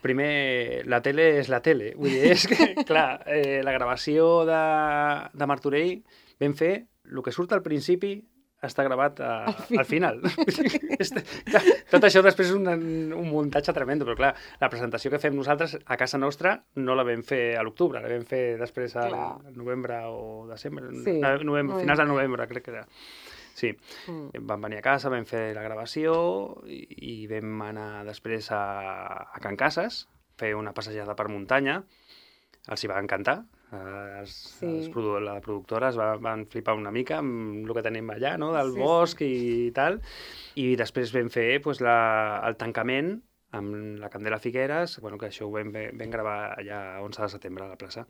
primer, la tele és la tele. Vull dir, és que, clar, la gravació de Martorell vam fer el que surt al principi està gravat al final. Clar, tot això després és un muntatge tremendo, però clar, la presentació que fem nosaltres a casa nostra no la vam fer a l'octubre, la vam fer després al novembre o desembre, finals de novembre, crec que era. Sí, vam venir a casa, vam fer la gravació i vam anar després a Can Casas, fer una passejada per muntanya, els hi va encantar. La productora es van flipar una mica amb el que tenim allà, no? Del bosc i tal. I després vam fer el tancament amb la Candela Figueres, que això ho vam gravar allà a 11 de setembre a la plaça.